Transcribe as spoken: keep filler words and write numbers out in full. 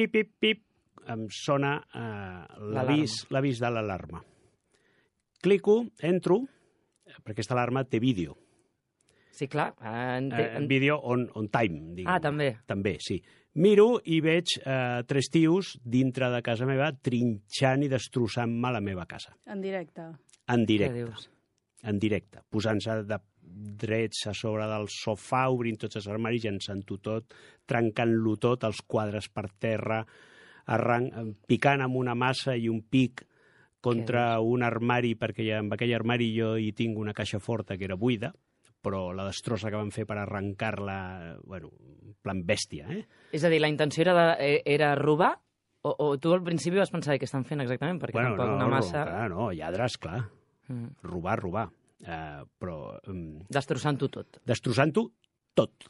pip, pip, pip, em sona eh, l'avís l'avís de l'alarma. Clico, entro, perquè aquesta alarma té vídeo. Sí, clar. En te... Eh, vídeo on, on time, diguem. Ah, també. També, sí. Miro i veig eh, tres tios dintre de casa meva trinxant i destrossant-me la meva casa. En directe. En Què directe. dius? En directe. Posant-se de drets a sobre del sofà, obrint tots els armaris, llançant-ho tot, trencant-lo tot, els quadres per terra, arran... picant amb una massa i un pic contra un armari, perquè ja, amb aquell armari jo hi tinc una caixa forta que era buida, però la destrossa que van fer per arrencar-la, bueno, en plan bèstia, eh? És a dir, la intenció era, de, era robar? O, o tu al principi vas pensar què estan fent exactament? Perquè bueno, tampoc no, una massa... Clar, no, lladres, clar. Mm. Robar, robar. Uh, però... Um, Destrossant-ho tot. Destrossant-ho tot.